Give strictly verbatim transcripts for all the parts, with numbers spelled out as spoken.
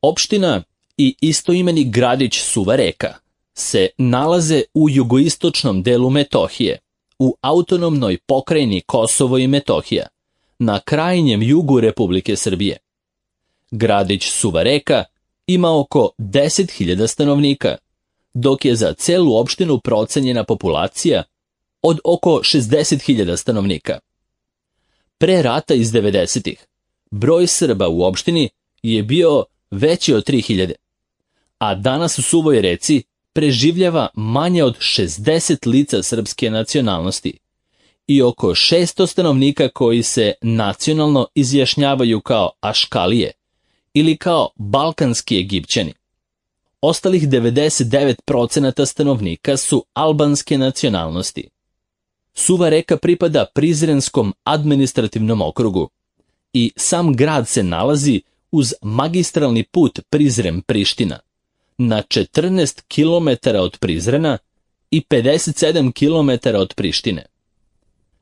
Opština i istoimeni gradić Suva Reka se nalaze u jugoistočnom delu Metohije, u autonomnoj pokrajini Kosovo i Metohija, na krajnjem jugu Republike Srbije. Gradić Suva Reka ima oko deset hiljada stanovnika, dok je za celu opštinu procenjena populacija od oko šezdeset hiljada stanovnika. Pre rata iz devedesetih broj Srba u opštini je bio veći od tri hiljade, a danas u Suvoj Reci preživljava manje od šezdeset lica srpske nacionalnosti i oko šesto stanovnika koji se nacionalno izjašnjavaju kao Aškalije ili kao balkanski Egipćani. Ostalih devedeset devet posto stanovnika su albanske nacionalnosti. Suva Reka pripada Prizrenskom administrativnom okrugu i sam grad se nalazi uz magistralni put Prizren-Priština, na četrnaest kilometara od Prizrena i pedeset sedam kilometara od Prištine.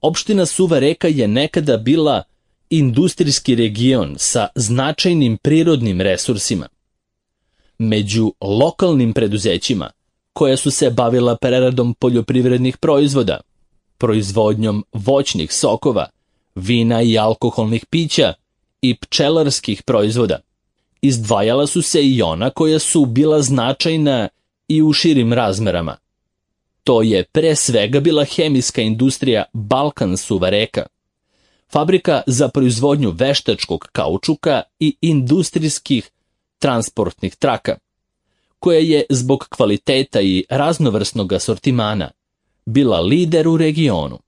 Opština Suva Reka je nekada bila industrijski region sa značajnim prirodnim resursima. Među lokalnim preduzećima koja su se bavila preradom poljoprivrednih proizvoda, proizvodnjom voćnih sokova, vina i alkoholnih pića i pčelarskih proizvoda, izdvajala su se i ona koja su bila značajna i u širim razmerama. To je pre svega bila hemijska industrija Balkan Suva Reka, fabrika za proizvodnju veštačkog kaučuka i industrijskih transportnih traka, koja je zbog kvaliteta i raznovrsnog asortimana bila lider u regionu.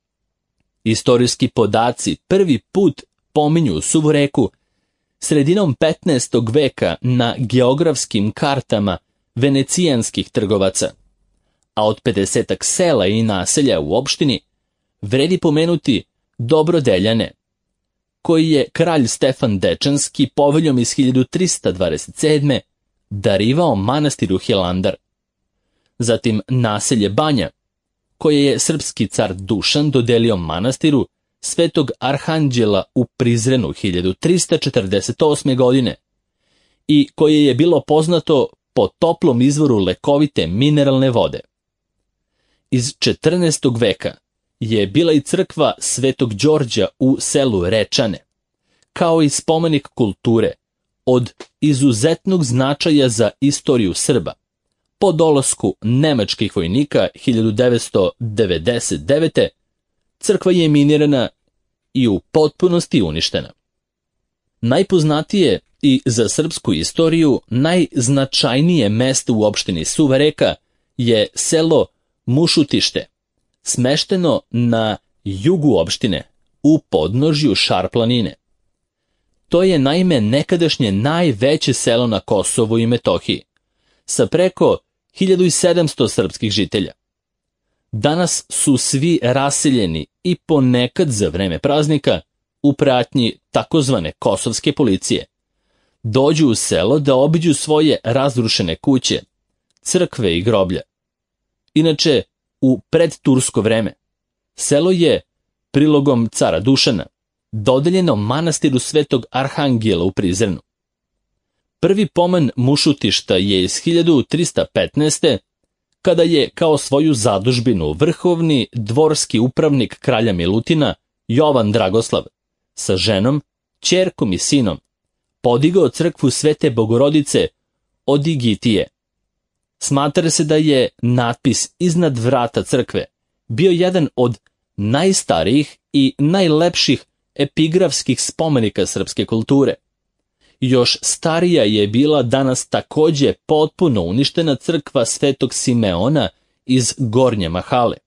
Istorijski podaci prvi put pominju Suvu Reku sredinom petnaestog veka na geografskim kartama venecijanskih trgovaca, a od pedesetak sela i naselja u opštini vredi pomenuti Dobrodeljane, koji je kralj Stefan Dečanski poveljom iz hiljadu trista dvadeset sedme. darivao manastiru Hilandar. Zatim naselje Banja, koje je srpski car Dušan dodelio manastiru Svetog Arhanđela u Prizrenu hiljadu trista četrdeset osme. godine i koje je bilo poznato po toplom izvoru lekovite mineralne vode. Iz četrnaestog veka je bila i crkva Svetog Đorđa u selu Rečane, kao i spomenik kulture od izuzetnog značaja za istoriju Srba. Po dolasku nemačkih vojnika hiljadu devetsto devedeset devete. crkva je minirana i u potpunosti uništena. Najpoznatije i za srpsku istoriju najznačajnije mesto u opštini Suva Reka je selo Mušutište, smešteno na jugu opštine, u podnožju Šar planine. To je naime nekadašnje najveće selo na Kosovu i Metohiji, sa preko hiljadu sedamsto srpskih žitelja. Danas su svi raseljeni i ponekad za vreme praznika u pratnji takozvane kosovske policije dođu u selo da obiđu svoje razrušene kuće, crkve i groblja. Inače, u predtursko vreme, selo je prilogom cara Dušana dodeljeno manastiru Svetog Arhangela u Prizrenu. Prvi pomen Mušutišta je iz hiljadu trista petnaeste. kada je kao svoju zadužbinu vrhovni dvorski upravnik kralja Milutina Jovan Dragoslav sa ženom, ćerkom i sinom podigao crkvu Svete Bogorodice od Igitije. Smatra se da je natpis iznad vrata crkve bio jedan od najstarijih i najlepših epigrafskih spomenika srpske kulture. Još starija je bila danas takođe potpuno uništena crkva Svetog Simeona iz Gornje Mahale,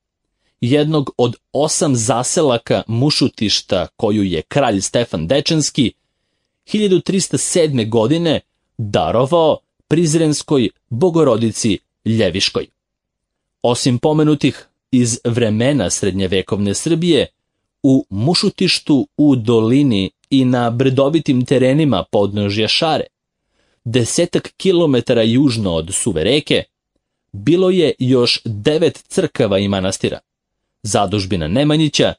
jednog od osam zaselaka Mušutišta koju je kralj Stefan Dečanski hiljadu trista sedme. godine darovao Prizrenskoj Bogorodici Ljeviškoj. Osim pomenutih iz vremena srednjevekovne Srbije, u Mušutištu u dolini i na brdovitim terenima podnožja Šare, desetak kilometara južno od Suve Reke, bilo je još devet crkava i manastira, zadužbina Nemanjića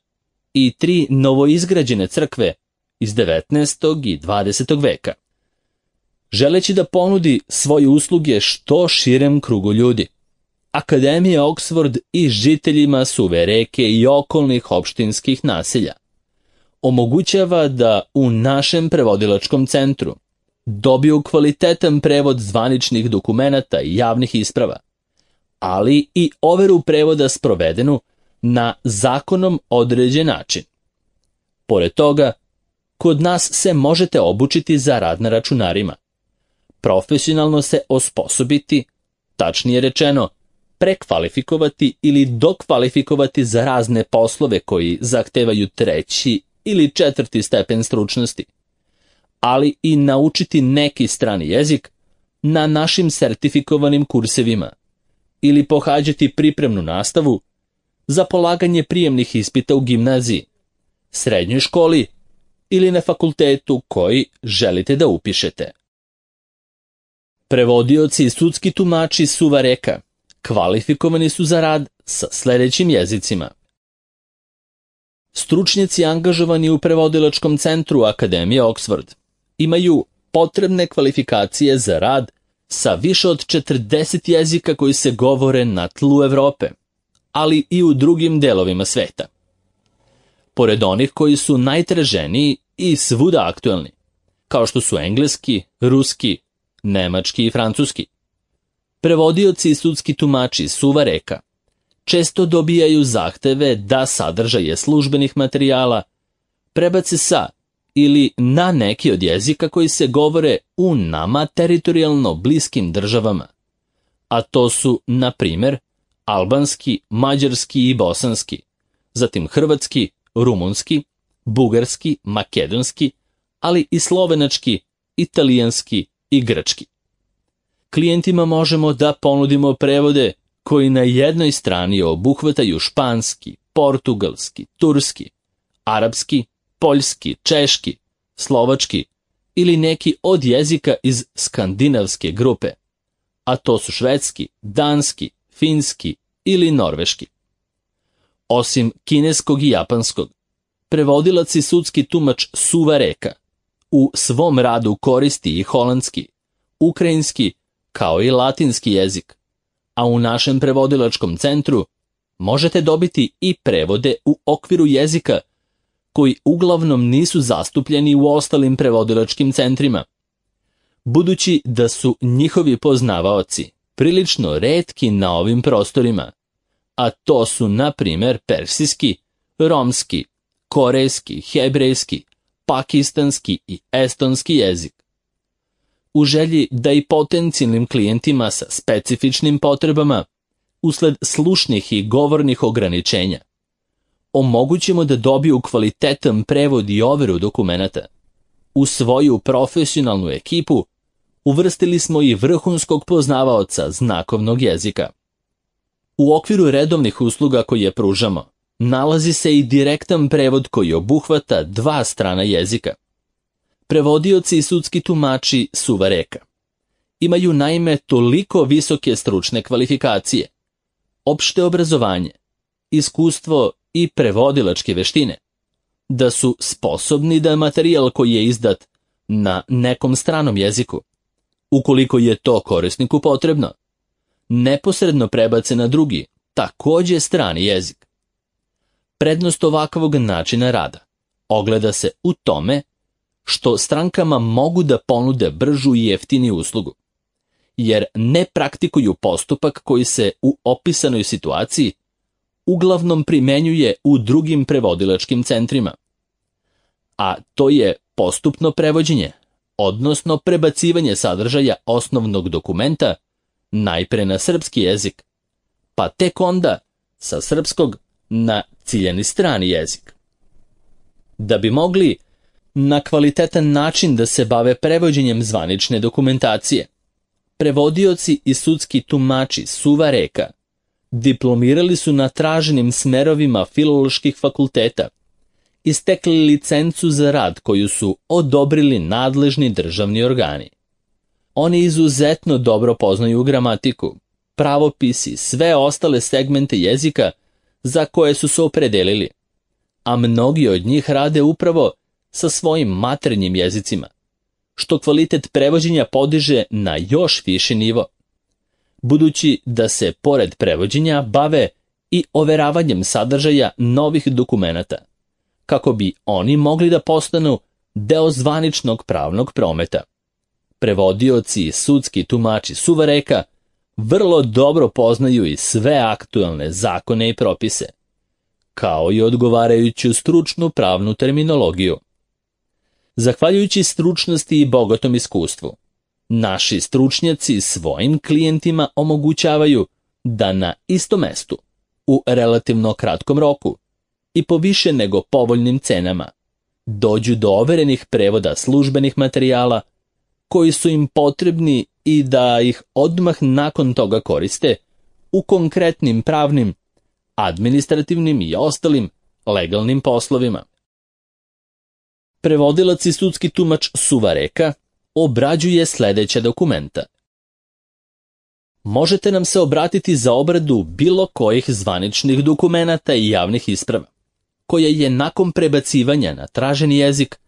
i tri novoizgrađene crkve iz devetnaestog i dvadesetog veka. želeći da ponudi svoje usluge što širem krugu ljudi. Akademija Oxford i žiteljima Suve Reke i okolnih opštinskih naselja omogućava da u našem prevodilačkom centru dobiju kvalitetan prevod zvaničnih dokumenata i javnih isprava, ali i overu prevoda sprovedenu na zakonom određen način. Pored toga, kod nas se možete obučiti za rad na računarima, profesionalno se osposobiti, tačnije rečeno, prekvalifikovati ili dokvalifikovati za razne poslove koji zahtevaju treći ili četvrti stepen stručnosti, ali i naučiti neki strani jezik na našim sertifikovanim kursevima ili pohađati pripremnu nastavu za polaganje prijemnih ispita u gimnaziji, srednjoj školi ili na fakultetu koji želite da upišete. Prevodioci i sudski tumači Suva Reka kvalifikovani su za rad sa sledećim jezicima. Stručnjaci angažovani u prevodilačkom centru Akademije Oxford imaju potrebne kvalifikacije za rad sa više od četrdeset jezika koji se govore na tlu Evrope, ali i u drugim delovima sveta. Pored onih koji su najtraženiji i svuda aktuelni, kao što su engleski, ruski, nemački i francuski, prevodioci i sudski tumači Suva Reka često dobijaju zahteve da sadržaje službenih materijala prebace sa ili na neki od jezika koji se govore u nama teritorijalno bliskim državama, a to su, na primer, albanski, mađarski i bosanski, zatim hrvatski, rumunski, bugarski, makedonski, ali i slovenački, italijanski i grčki. Klijentima možemo da ponudimo prevode koji na jednoj strani obuhvataju španski, portugalski, turski, arapski, poljski, češki, slovački ili neki od jezika iz skandinavske grupe, a to su švedski, danski, finski ili norveški. Osim kineskog i japanskog, prevodilac i sudski tumač Suva Reka u svom radu koristi i holandski, ukrajinski kao i latinski jezik, a u našem prevodilačkom centru možete dobiti i prevode u okviru jezika koji uglavnom nisu zastupljeni u ostalim prevodilačkim centrima, budući da su njihovi poznavaoci prilično retki na ovim prostorima, a to su, na primer, persijski, romski, korejski, hebrejski, pakistanski i estonski jezik. U želji da i potencijalnim klijentima sa specifičnim potrebama, usled slušnih i govornih ograničenja, omogućimo da dobiju kvalitetan prevod i overu dokumenata. U svoju profesionalnu ekipu uvrstili smo i vrhunskog poznavaoca znakovnog jezika. U okviru redovnih usluga koje pružamo, nalazi se i direktan prevod koji obuhvata dva strana jezika. Prevodioci i sudski tumači Suva Reka imaju naime toliko visoke stručne kvalifikacije, opšte obrazovanje, iskustvo i prevodilačke veštine, da su sposobni da materijal koji je izdat na nekom stranom jeziku, ukoliko je to korisniku potrebno, neposredno prebace na drugi, takođe strani jezik. Prednost ovakvog načina rada ogleda se u tome što strankama mogu da ponude bržu i jeftiniju uslugu, jer ne praktikuju postupak koji se u opisanoj situaciji uglavnom primenjuje u drugim prevodilačkim centrima, a to je postupno prevođenje, odnosno prebacivanje sadržaja osnovnog dokumenta najpre na srpski jezik, pa tek onda sa srpskog na ciljani strani jezik. Da bi mogli na kvalitetan način da se bave prevođenjem zvanične dokumentacije, prevodioci i sudski tumači Suva Reka diplomirali su na traženim smerovima filoloških fakulteta i stekli licencu za rad koju su odobrili nadležni državni organi. Oni izuzetno dobro poznaju gramatiku, pravopis i sve ostale segmente jezika za koje su se opredelili, a mnogi od njih rade upravo sa svojim maternjim jezicima, što kvalitet prevođenja podiže na još viši nivo. Budući da se pored prevođenja bave i overavanjem sadržaja novih dokumenata, kako bi oni mogli da postanu deo zvaničnog pravnog prometa. Prevodioci i sudski tumači suvareka vrlo dobro poznaju i sve aktuelne zakone i propise, kao i odgovarajuću stručnu pravnu terminologiju. Zahvaljujući stručnosti i bogatom iskustvu, naši stručnjaci svojim klijentima omogućavaju da na istom mestu, u relativno kratkom roku i po više nego povoljnim cenama, dođu do overenih prevoda službenih materijala koji su im potrebni i da ih odmah nakon toga koriste u konkretnim pravnim, administrativnim i ostalim legalnim poslovima. Prevodilac i sudski tumač suvareka obrađuje sledeća dokumenta. Možete nam se obratiti za obradu bilo kojih zvaničnih dokumenata i javnih isprava, koje je nakon prebacivanja na traženi jezik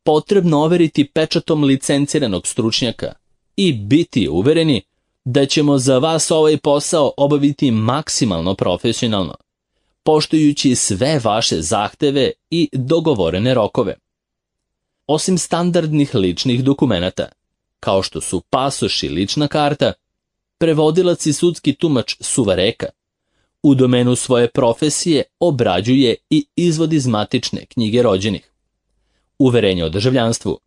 potrebno overiti pečatom licenciranog stručnjaka i biti uvereni da ćemo za vas ovaj posao obaviti maksimalno profesionalno, poštujući sve vaše zahteve i dogovorene rokove. Osim standardnih ličnih dokumenata, kao što su pasoš i lična karta, prevodilac i sudski tumač suvareka u domenu svoje profesije obrađuje i izvod iz matične knjige rođenih, uverenje o državljanstvu,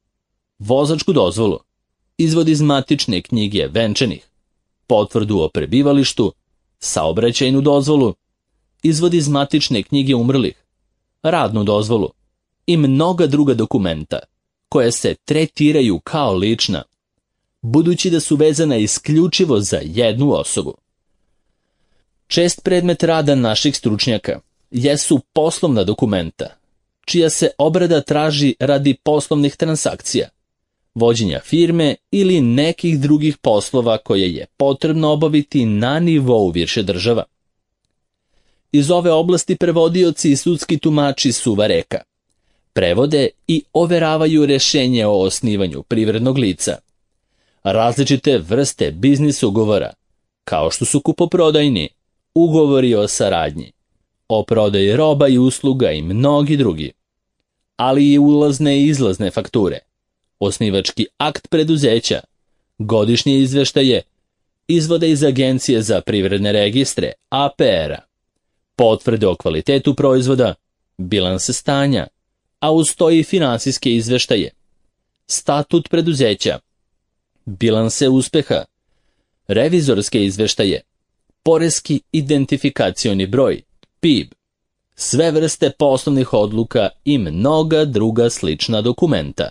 vozačku dozvolu, izvod iz matične knjige venčanih, potvrdu o prebivalištu, saobraćajnu dozvolu, izvod iz matične knjige umrlih, radnu dozvolu i mnoga druga dokumenta koje se tretiraju kao lična, budući da su vezana isključivo za jednu osobu. Čest predmet rada naših stručnjaka jesu poslovna dokumenta, čija se obrada traži radi poslovnih transakcija, vođenja firme ili nekih drugih poslova koje je potrebno obaviti na nivou više država. Iz ove oblasti prevodioci i sudski tumači suvareka prevode i overavaju rešenje o osnivanju privrednog lica, različite vrste biznis ugovora, kao što su kupoprodajni, ugovori o saradnji, o prodaji roba i usluga i mnogi drugi, ali i ulazne i izlazne fakture, osnivački akt preduzeća, godišnje izveštaje, izvode iz Agencije za privredne registre, A P R-a, potvrde o kvalitetu proizvoda, bilanse stanja, a uz to i finansijske izveštaje, statut preduzeća, bilanse uspeha, revizorske izveštaje, poreski identifikacioni broj, P I B, sve vrste poslovnih odluka i mnoga druga slična dokumenta.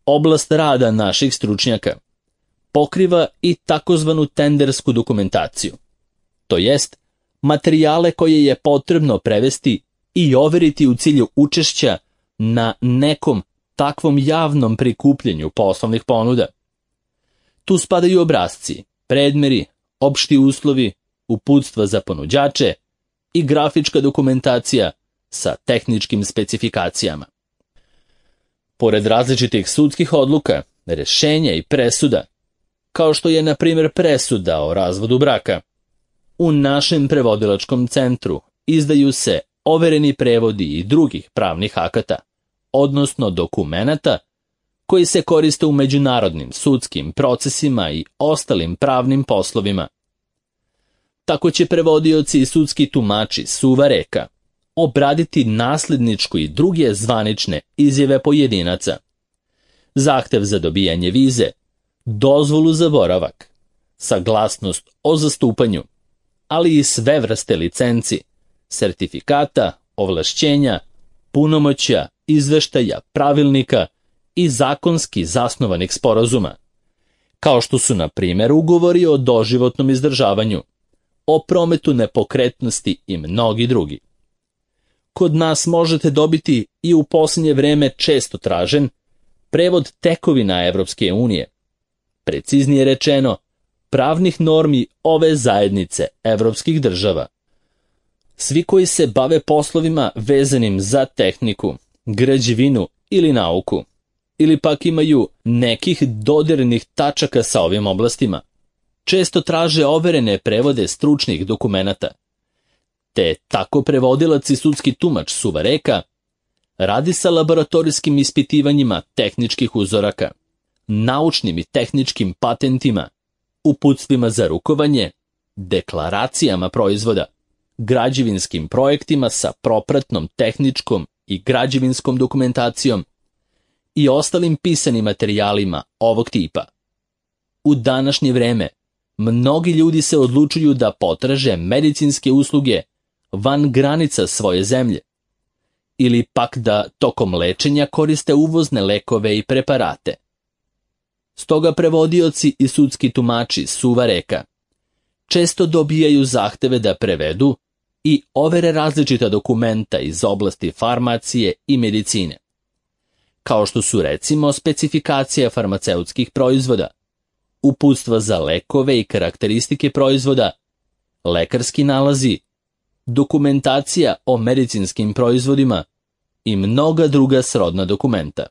Oblast rada naših stručnjaka pokriva i takozvanu tendersku dokumentaciju, to jest materijale koje je potrebno prevesti i overiti u cilju učešća na nekom takvom javnom prikupljenju poslovnih ponuda. Tu spadaju obrasci, predmeri, opšti uslovi, uputstva za ponuđače i grafička dokumentacija sa tehničkim specifikacijama. Pored različitih sudskih odluka, rešenja i presuda, kao što je na primjer presuda o razvodu braka, u našem prevodilačkom centru izdaju se overeni prevodi i drugih pravnih akata, odnosno dokumenata koji se koriste u međunarodnim sudskim procesima i ostalim pravnim poslovima. Tako će prevodioci i sudski tumači suvareka obraditi nasljedničku i druge zvanične izjave pojedinaca, zahtev za dobijanje vize, dozvolu za boravak, saglasnost o zastupanju, ali i sve vrste licenci, sertifikata, ovlašćenja, punomoćja, izveštaja, pravilnika i zakonski zasnovanih sporazuma, kao što su, na primjer, ugovori o doživotnom izdržavanju, o prometu nepokretnosti i mnogi drugi. Kod nas možete dobiti i u posljednje vreme često tražen prevod tekovina Evropske unije, preciznije rečeno, pravnih normi ove zajednice evropskih država. Svi koji se bave poslovima vezanim za tehniku, građevinu ili nauku, ili pak imaju nekih dodirnih tačaka sa ovim oblastima. Često traže overene prevode stručnih dokumenata. Te tako prevodilac i sudski tumač suvareka radi sa laboratorijskim ispitivanjima tehničkih uzoraka, naučnim i tehničkim patentima, uputstvima za rukovanje, deklaracijama proizvoda, građevinskim projektima sa propratnom tehničkom i građevinskom dokumentacijom i ostalim pisanim materijalima ovog tipa. U današnje vreme mnogi ljudi se odlučuju da potraže medicinske usluge van granica svoje zemlje ili pak da tokom lečenja koriste uvozne lekove i preparate. Stoga prevodioci i sudski tumači suvareka često dobijaju zahteve da prevedu i overe različita dokumenta iz oblasti farmacije i medicine, kao što su recimo specifikacija farmaceutskih proizvoda, uputstva za lekove i karakteristike proizvoda, lekarski nalazi, dokumentacija o medicinskim proizvodima i mnoga druga srodna dokumenta.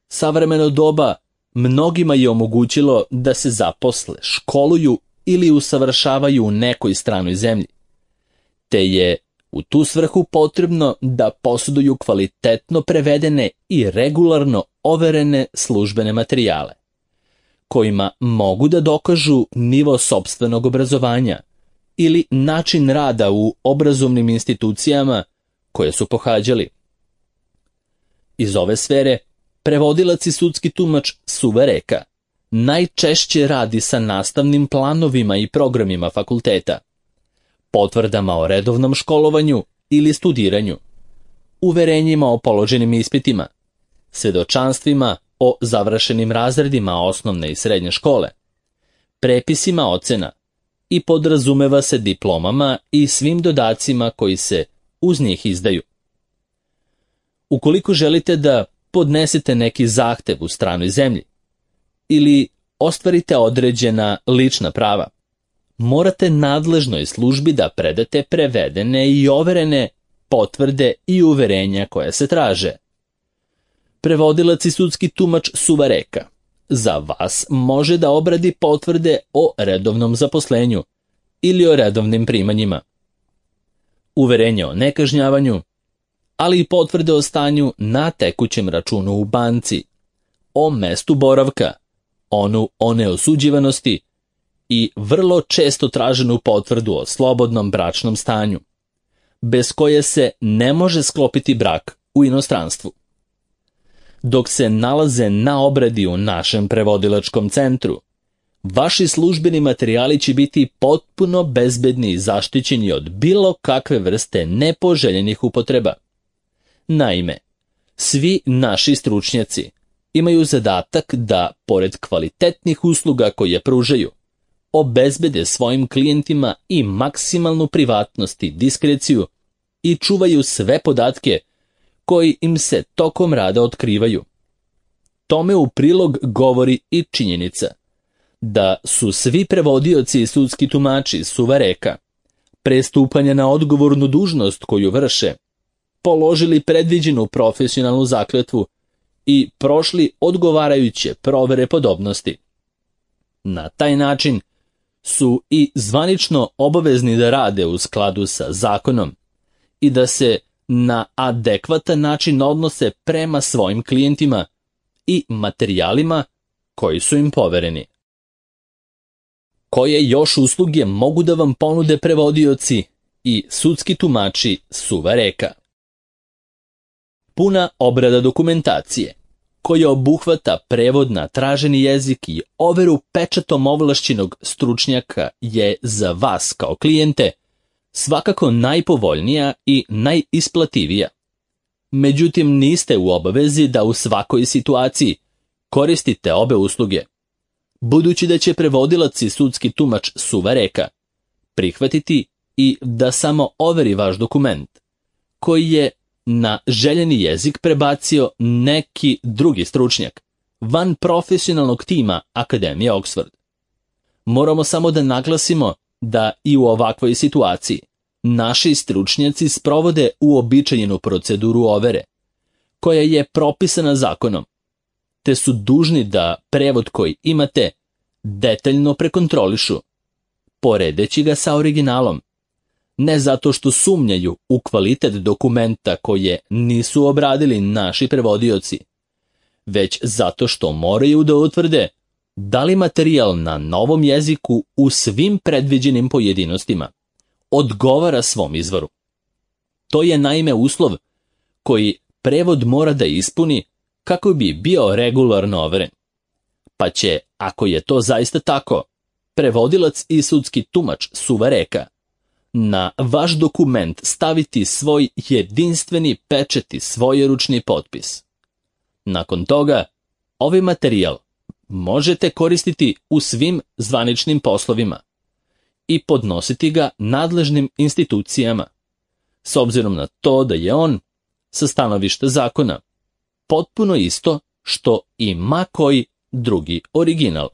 Savremeno doba mnogima je omogućilo da se zaposle, školuju ili usavršavaju u nekoj stranoj zemlji, te je u tu svrhu potrebno da posjeduju kvalitetno prevedene i regularno overene službene materijale, kojima mogu da dokažu nivo sopstvenog obrazovanja ili način rada u obrazovnim institucijama koje su pohađali. Iz ove sfere prevodilac i sudski tumač suvareka najčešće radi sa nastavnim planovima i programima fakulteta, potvrdama o redovnom školovanju ili studiranju, uverenjima o položenim ispitima, svedočanstvima o završenim razredima osnovne i srednje škole, prepisima ocena i podrazumeva se diplomama i svim dodacima koji se uz njih izdaju. Ukoliko želite da podnesete neki zahtev u stranoj zemlji ili ostvarite određena lična prava, morate nadležnoj službi da predate prevedene i overene potvrde i uverenja koje se traže. Prevodilac i sudski tumač suvareka za vas može da obradi potvrde o redovnom zaposlenju ili o redovnim primanjima, uverenje o nekažnjavanju, ali i potvrde o stanju na tekućem računu u banci, o mestu boravka, onu o neosuđivanosti i vrlo često traženu potvrdu o slobodnom bračnom stanju, bez koje se ne može sklopiti brak u inostranstvu. Dok se nalaze na obradi u našem prevodilačkom centru, vaši službeni materijali će biti potpuno bezbedni i zaštićeni od bilo kakve vrste nepoželjenih upotreba. Naime, svi naši stručnjaci imaju zadatak da, pored kvalitetnih usluga koje pružaju, obezbede svojim klijentima i maksimalnu privatnost i diskreciju i čuvaju sve podatke koji im se tokom rada otkrivaju. Tome u prilog govori i činjenica da su svi prevodioci i sudski tumači suvareka pre stupanja na odgovornu dužnost koju vrše položili predviđenu profesionalnu zakletvu i prošli odgovarajuće provere podobnosti. Na taj način su i zvanično obavezni da rade u skladu sa zakonom i da se na adekvatan način odnose prema svojim klijentima i materijalima koji su im povereni. Koje još usluge mogu da vam ponude prevodioci i sudski tumači suvareka? Puna obrada dokumentacije, koja obuhvata prevod na traženi jezik i overu pečatom ovlašćenog stručnjaka, je za vas kao klijente svakako najpovoljnija i najisplativija. Međutim, niste u obavezi da u svakoj situaciji koristite obe usluge, budući da će prevodilac i sudski tumač suvareka prihvatiti i da samo overi vaš dokument, koji je na željeni jezik prebacio neki drugi stručnjak, van profesionalnog tima Akademije Oxford. Moramo samo da naglasimo da i u ovakvoj situaciji naši stručnjaci sprovode uobičajenu proceduru overe, koja je propisana zakonom, te su dužni da prevod koji imate detaljno prekontrolišu, poredeći ga sa originalom, ne zato što sumnjaju u kvalitet dokumenta koje nisu obradili naši prevodioci, već zato što moraju da utvrde da li materijal na novom jeziku u svim predviđenim pojedinostima odgovara svom izvoru. To je naime uslov koji prevod mora da ispuni kako bi bio regularno overen. Pa će, ako je to zaista tako, prevodilac i sudski tumač suvareka na vaš dokument staviti svoj jedinstveni pečat i svojeručni potpis. Nakon toga, ovaj materijal možete koristiti u svim zvaničnim poslovima i podnositi ga nadležnim institucijama, s obzirom na to da je on, sa stanovišta zakona, potpuno isto što i ma koji drugi original.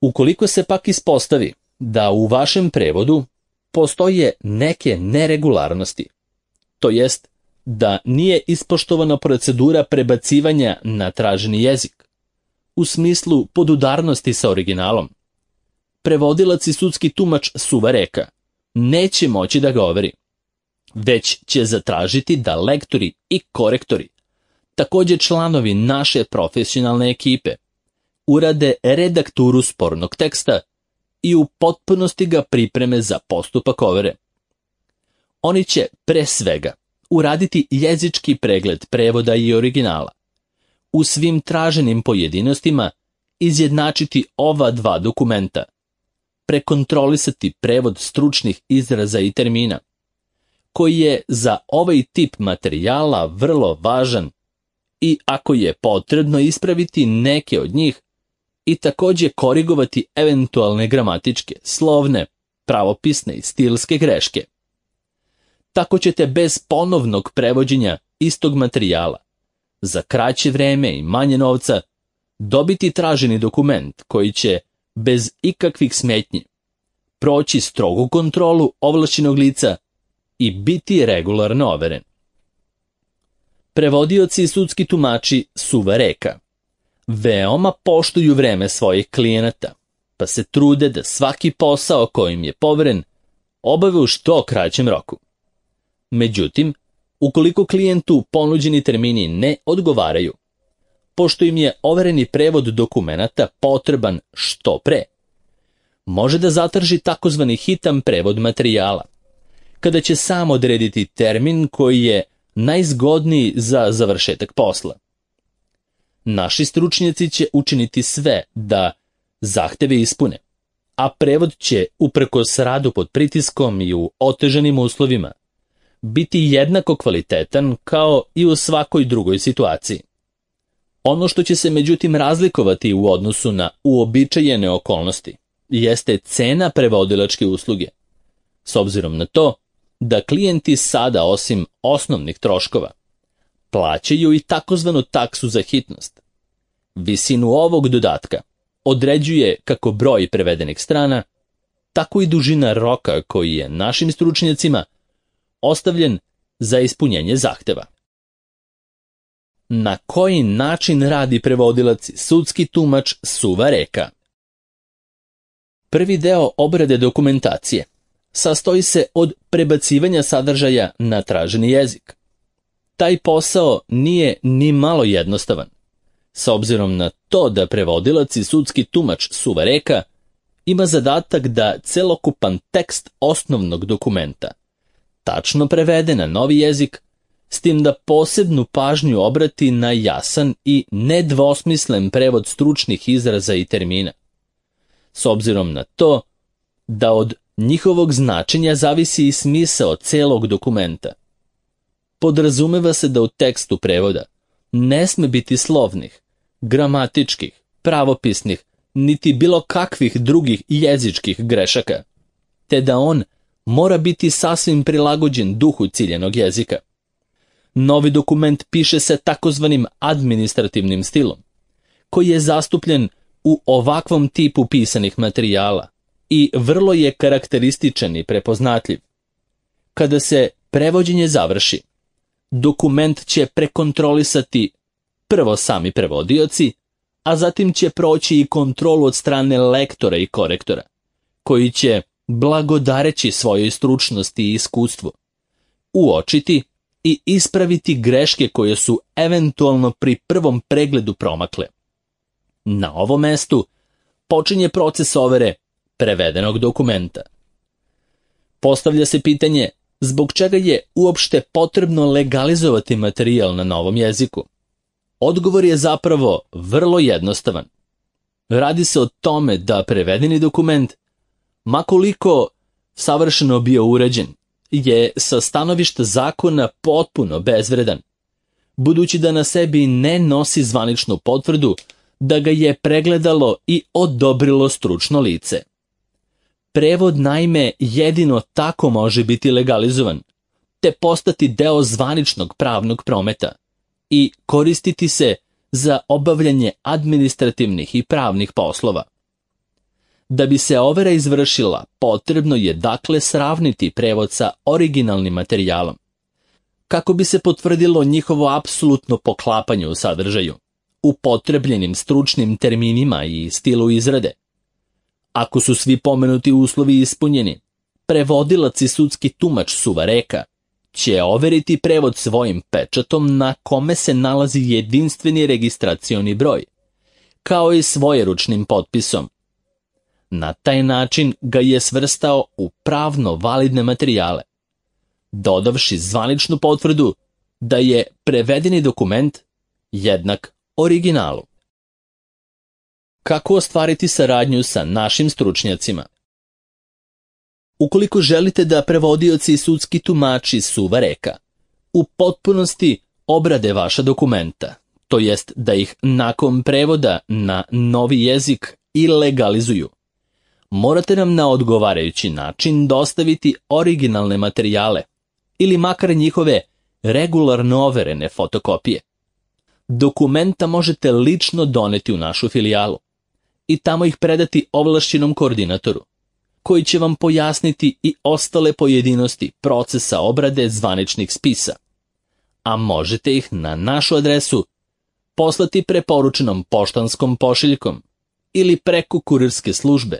Ukoliko se pak ispostavi da u vašem prevodu postoje neke neregularnosti, to jest da nije ispoštovana procedura prebacivanja na traženi jezik, u smislu podudarnosti sa originalom, prevodilac i sudski tumač suvareka neće moći da ga overi, već će zatražiti da lektori i korektori, također članovi naše profesionalne ekipe, urade redakturu spornog teksta i u potpunosti ga pripreme za postupak overe. Oni će pre svega uraditi jezički pregled prevoda i originala, u svim traženim pojedinostima izjednačiti ova dva dokumenta, prekontrolisati prevod stručnih izraza i termina, koji je za ovaj tip materijala vrlo važan, i ako je potrebno ispraviti neke od njih i također korigovati eventualne gramatičke, slovne, pravopisne i stilske greške. Tako ćete bez ponovnog prevođenja istog materijala, za kraće vreme i manje novca, dobiti traženi dokument koji će, bez ikakvih smetnji, proći strogu kontrolu ovlašćenog lica i biti regularno overen. Prevodioci i sudski tumači suvareka veoma poštuju vreme svojih klijenata, pa se trude da svaki posao kojim je poveren obave u što kraćem roku. Međutim, ukoliko klijentu ponuđeni termini ne odgovaraju, pošto im je overeni prevod dokumenata potreban što pre, može da zatraži takozvani hitan prevod materijala, kada će sam odrediti termin koji je najzgodniji za završetak posla. Naši stručnjaci će učiniti sve da zahteve ispune, a prevod će, uprkos radu pod pritiskom i u otežanim uslovima, biti jednako kvalitetan kao i u svakoj drugoj situaciji. Ono što će se međutim razlikovati u odnosu na uobičajene okolnosti jeste cena prevodilačke usluge, s obzirom na to da klijenti sada, osim osnovnih troškova, plaćaju i takozvanu taksu za hitnost. Visinu ovog dodatka određuje kako broj prevedenih strana, tako i dužina roka koji je našim stručnjacima ostavljen za ispunjenje zahteva. Na koji način radi prevodilac i sudski tumač suvareka? Prvi deo obrade dokumentacije sastoji se od prebacivanja sadržaja na traženi jezik. Taj posao nije ni malo jednostavan, s obzirom na to da prevodilac i sudski tumač suvareka ima zadatak da celokupan tekst osnovnog dokumenta tačno prevede na novi jezik, s tim da posebnu pažnju obrati na jasan i nedvosmislen prevod stručnih izraza i termina, s obzirom na to da od njihovog značenja zavisi i smisao celog dokumenta. Podrazumeva se da u tekstu prevoda ne sme biti slovnih, gramatičkih, pravopisnih, niti bilo kakvih drugih jezičkih grešaka, te da on mora biti sasvim prilagođen duhu ciljenog jezika. Novi dokument piše se takozvanim administrativnim stilom, koji je zastupljen u ovakvom tipu pisanih materijala i vrlo je karakterističan i prepoznatljiv. Kada se prevođenje završi, Dokument će prekontrolisati prvo sami prevodioci, a zatim će proći i kontrolu od strane lektora i korektora, koji će, blagodareći svojoj stručnosti i iskustvu, uočiti i ispraviti greške koje su eventualno pri prvom pregledu promakle. Na ovom mestu počinje proces overe prevedenog dokumenta. Postavlja se pitanje zbog čega je uopšte potrebno legalizovati materijal na novom jeziku. Odgovor je zapravo vrlo jednostavan. Radi se o tome da prevedeni dokument, makoliko savršeno bio uređen, je sa stanovišta zakona potpuno bezvredan, budući da na sebi ne nosi zvaničnu potvrdu da ga je pregledalo i odobrilo stručno lice. Prevod naime jedino tako može biti legalizovan, te postati deo zvaničnog pravnog prometa i koristiti se za obavljanje administrativnih i pravnih poslova. Da bi se overa izvršila, potrebno je dakle sravniti prevod sa originalnim materijalom, kako bi se potvrdilo njihovo apsolutno poklapanje u sadržaju, upotrebljenim stručnim terminima i stilu izrade. Ako su svi pomenuti uslovi ispunjeni, prevodilac i sudski tumač Suvareka će overiti prevod svojim pečatom na kome se nalazi jedinstveni registracioni broj, kao i svojeručnim potpisom. Na taj način ga je svrstao u pravno validne materijale, dodavši zvaničnu potvrdu da je prevedeni dokument jednak originalu. Kako ostvariti saradnju sa našim stručnjacima? Ukoliko želite da prevodioci i sudski tumači Suvareka u potpunosti obrade vaša dokumenta, to jest da ih nakon prevoda na novi jezik i legalizuju, morate nam na odgovarajući način dostaviti originalne materijale ili makar njihove regularno overene fotokopije. Dokumenta možete lično doneti u našu filijalu i tamo ih predati ovlašćenom koordinatoru, koji će vam pojasniti i ostale pojedinosti procesa obrade zvaničnih spisa, a možete ih na našu adresu poslati preporučenom poštanskom pošiljkom ili preko kurirske službe,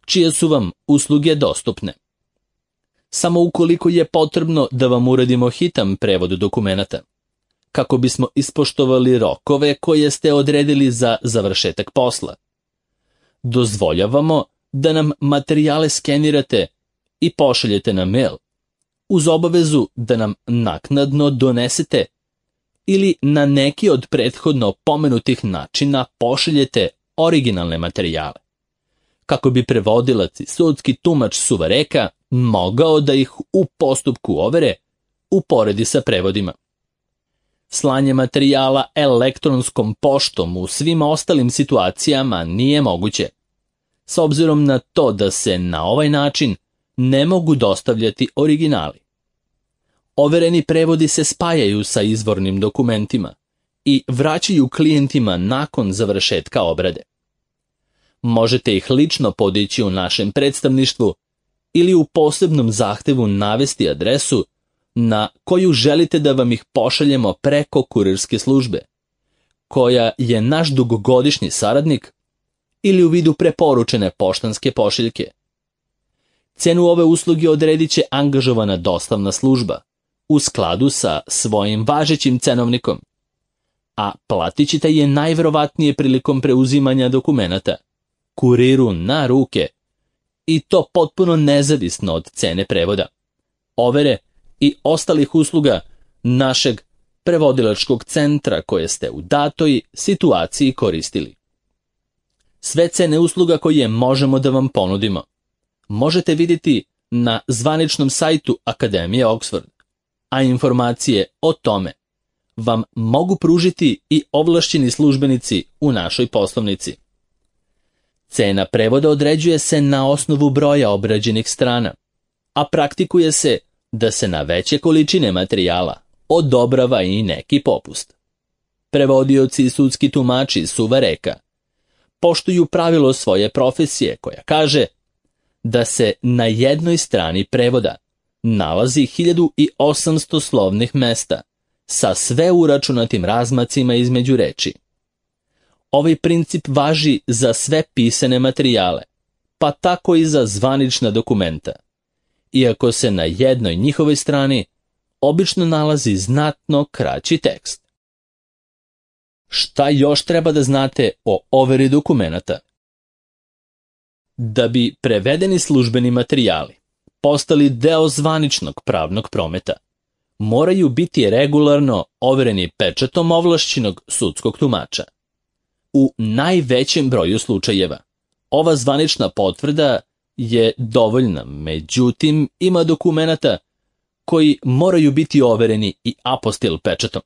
čije su vam usluge dostupne. Samo ukoliko je potrebno da vam uradimo hitan prevod dokumenata, kako bismo ispoštovali rokove koje ste odredili za završetak posla. Dozvoljavamo da nam materijale skenirate i pošaljete na mail, uz obavezu da nam naknadno donesete ili na neki od prethodno pomenutih načina pošaljete originalne materijale, kako bi prevodilac i sudski tumač Suvareka mogao da ih u postupku overe uporedi sa prevodima. Slanje materijala elektronskom poštom u svim ostalim situacijama nije moguće, s obzirom na to da se na ovaj način ne mogu dostavljati originali. Overeni prevodi se spajaju sa izvornim dokumentima i vraćaju klijentima nakon završetka obrade. Možete ih lično podići u našem predstavništvu ili u posebnom zahtevu navesti adresu na koju želite da vam ih pošaljemo preko kurirske službe, koja je naš dugogodišnji saradnik, ili u vidu preporučene poštanske pošiljke. Cenu ove usluge odredit će angažovana dostavna služba u skladu sa svojim važećim cenovnikom, a platit ćete je najverovatnije prilikom preuzimanja dokumenata, kuriru na ruke, i to potpuno nezavisno od cene prevoda, overe i ostalih usluga našeg prevodilačkog centra koje ste u datoj situaciji koristili. Sve cene usluga koje možemo da vam ponudimo možete vidjeti na zvaničnom sajtu Akademije Oxford, a informacije o tome vam mogu pružiti i ovlašćeni službenici u našoj poslovnici. Cena prevoda određuje se na osnovu broja obrađenih strana, a praktikuje se da se na veće količine materijala odobrava i neki popust. Prevodioci i sudski tumači Suvareka poštuju pravilo svoje profesije koja kaže da se na jednoj strani prevoda nalazi hiljadu osamsto slovnih mesta sa sve uračunatim razmacima između reči. Ovaj princip važi za sve pisane materijale, pa tako i za zvanična dokumenta, iako se na jednoj njihovoj strani obično nalazi znatno kraći tekst. Šta još treba da znate o overi dokumenata? Da bi prevedeni službeni materijali postali deo zvaničnog pravnog prometa, moraju biti regularno overeni pečatom ovlašćenog sudskog tumača. U najvećem broju slučajeva ova zvanična potvrda je dovoljna, međutim ima dokumenata koji moraju biti overeni i apostil pečatom.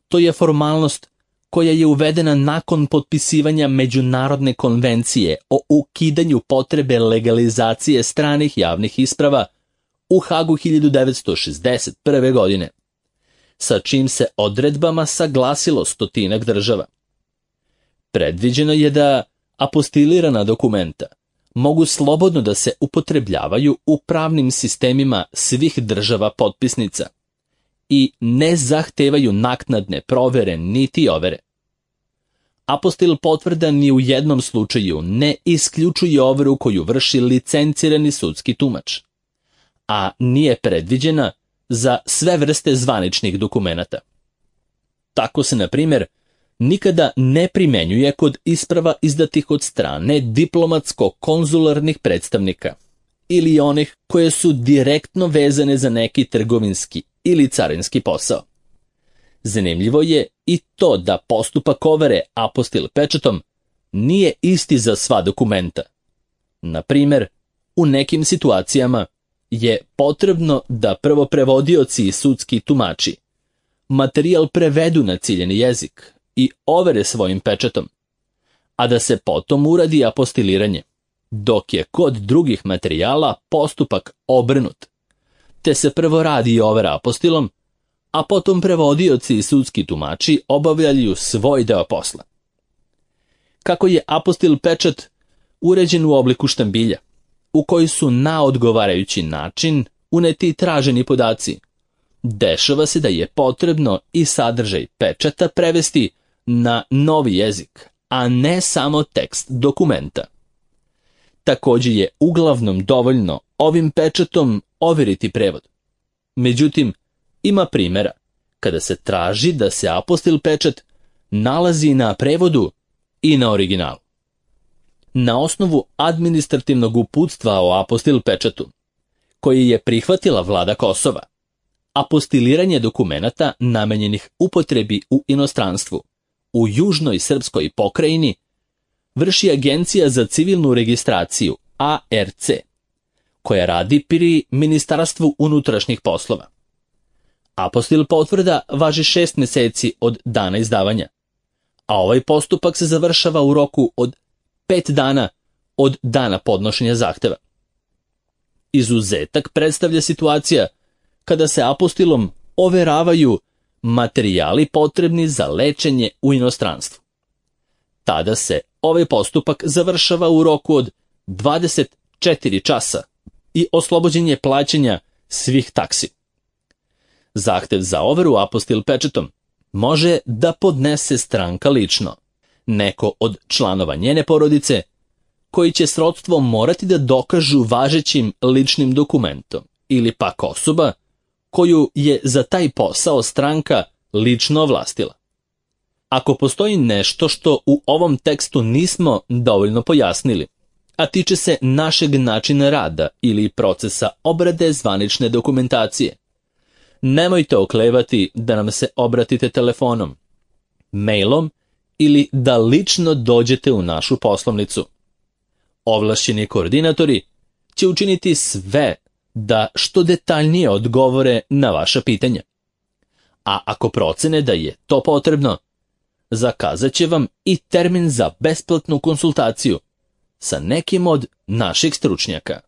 To je formalnost koja je uvedena nakon potpisivanja Međunarodne konvencije o ukidanju potrebe legalizacije stranih javnih isprava u Hagu hiljadu devetsto šezdeset prve. godine, sa čim se odredbama saglasilo stotinak država. Predviđeno je da apostilirana dokumenta mogu slobodno da se upotrebljavaju u pravnim sistemima svih država potpisnica i ne zahtevaju naknadne provere niti overe. Apostil potvrda ni u jednom slučaju ne isključuje overu koju vrši licencirani sudski tumač, a nije predviđena za sve vrste zvaničnih dokumenata. Tako se, na primjer, nikada ne primenjuje kod isprava izdatih od strane diplomatsko-konzularnih predstavnika ili onih koje su direktno vezane za neki trgovinski ili carinski posao. Zanimljivo je i to da postupak overe apostil pečatom nije isti za sva dokumenta. Na primjer, u nekim situacijama je potrebno da prvo prevodioci i sudski tumači materijal prevedu na ciljeni jezik i overe svojim pečatom, a da se potom uradi apostiliranje, dok je kod drugih materijala postupak obrnut, te se prvo radi overa apostilom, a potom prevodioci i sudski tumači obavljaju svoj deo posla. Kako je apostil pečat uređen u obliku štambilja, u koji su na odgovarajući način uneti traženi podaci, dešava se da je potrebno i sadržaj pečata prevesti na novi jezik, a ne samo tekst dokumenta. Također je uglavnom dovoljno ovim pečatom overiti prevod. Međutim, ima primjera kada se traži da se apostil pečat nalazi na prevodu i na originalu. Na osnovu administrativnog uputstva o apostil pečatu, koji je prihvatila vlada Kosova, apostiliranje dokumenata namenjenih upotrebi u inostranstvu u južnoj srpskoj pokrajini vrši Agencija za civilnu registraciju A R C, koja radi pri Ministarstvu unutrašnjih poslova. Apostil potvrda važi šest mjeseci od dana izdavanja, a ovaj postupak se završava u roku od pet dana od dana podnošenja zahteva. Izuzetak predstavlja situacija kada se apostilom overavaju materijali potrebni za lečenje u inostranstvu. Tada se ovaj postupak završava u roku od dvadeset četiri časa i oslobođen je plaćanja svih taksi. Zahtev za overu apostil pečatom može da podnese stranka lično, neko od članova njene porodice, koji će srodstvo morati da dokažu važećim ličnim dokumentom, ili pak osoba koju je za taj posao stranka lično ovlastila. Ako postoji nešto što u ovom tekstu nismo dovoljno pojasnili, a tiče se našeg načina rada ili procesa obrade zvanične dokumentacije, nemojte oklevati da nam se obratite telefonom, mailom ili da lično dođete u našu poslovnicu. Ovlašćeni koordinatori će učiniti sve da što detaljnije odgovore na vaša pitanja. A ako procene da je to potrebno, zakazat će vam i termin za besplatnu konsultaciju sa nekim od naših stručnjaka.